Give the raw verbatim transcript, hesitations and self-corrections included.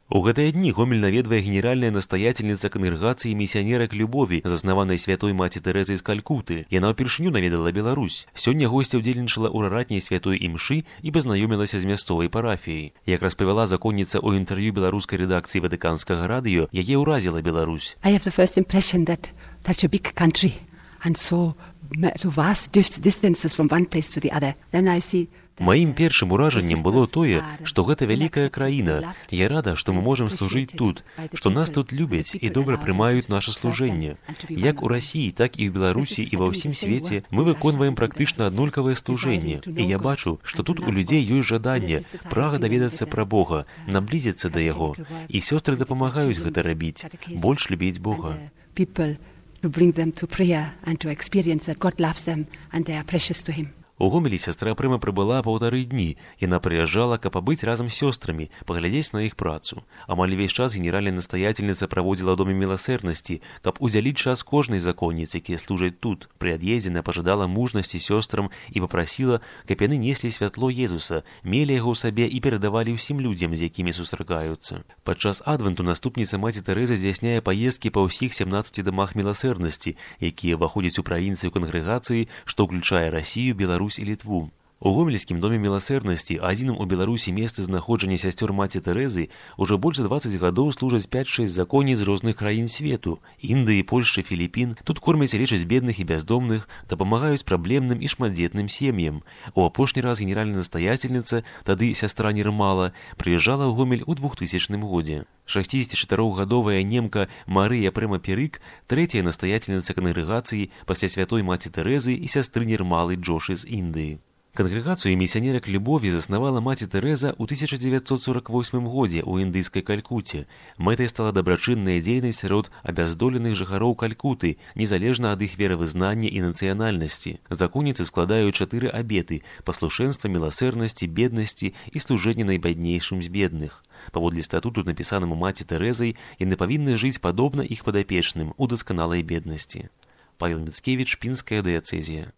У гэтыя дні Гомель наведвае генеральная настаятельніца кангрэгацыі місіянерак любові, заснаванай святой маці Тэрэзай з Калькуты. Яна ўпершыню наведала Беларусь. Сёння госця ўдзельнічала ў раратняй святой імшы і пазнаёмілася з мясцовай парафіяй. Як распавяла законніца ў інтэрв'ю беларускай рэдакцыі Ватыканскага радыё, яе ўразіла Беларусь. I have the first impression that such a big country and so so vast distances from one place to the other. Then I see Маім першым уражаннем было тое, што гэта вялікая краіна. Я рада, што мы можам служыць тут, што нас тут любяць і добра прымаюць наша служэнне. Як у Расіі, так і ў Беларусі і ва ўсім свеце мы выконваем практычна аднолькавае служэнне. І я бачу, што тут у людзей ёсць жаданне, прага даведацца пра Бога, наблізіцца да Яго. І сёстры дапамагаюць гэта рабіць, больш любіць Бога. To bring them to prayer and to experience that God loves them and they are precious to Him. У Гомелі сястра Прыма прыбыла паўтары дні. Яна прыязджала, каб пабыць разам з сёстрамі, паглядзець на іх працу. Амаль увесь час генеральная настаятельніца праводзіла ў доме міласэрнасці, каб удзяліць час кожнай законніцы, якія служаць тут. Пры ад'ездзе яна пажадала мужнасці сёстрам і папрасіла, каб яны неслі святло Езуса, мелі яго ў сабе і перадавалі ўсім людзям, з якімі сустракаюцца. Падчас адвенту наступніца маці Тэрэза здзяйсняе паездкі па ўсіх сямнаццаці дамах міласэрнасці, якія ўваходзяць у правінцыю кангрэгацыі, што ўключае Расію, Беларусь і Літву. У Гомельскім доме міласэрнасці, адзіным у Беларусі месцы знаходжання сясцёр маці Тэрэзы, ужо больш за дваццаць гадоў служаць пяць-шэсць законніц з розных краін свету – Індыі, Польшчы, Філіпін. Тут кормяць і лечаць бедных і бяздомных, дапамагаюць праблемным і шматдзетным сем'ям. У апошні раз генеральная настаятельніца, тады сястра Нірмала, прыязджала ў Гомель у двухтысячным годзе. шасцідзесяцічатырохгадовая немка Марыя Прыма Перык, трэцяя настаятельніца кангрэгацыі пасля святой маці Тэрэзы і сястры Нірмалы Джошы з Індыі. Кангрэгацыю місіянерак любові заснавала маці Тэрэза ў тысяча дзевяцьсот сорак восьмым годзе ў індыйскай Калькуце. Мэтай стала дабрачынная дзейнасць сярод абяздоленых жыхароў Калькуты, незалежна ад іх веравызнання і нацыянальнасці. Законніцы складаюць чатыры абеты – паслушэнства, міласэрнасці, беднасці і служэння найбяднейшым з бедных. Паводле статуту, напісанаму маці Тэрэзай, яны павінны жыць падобна іх падапечным у дасканалай беднасці. Павел Міцкевіч, Пінская дыяцэзія.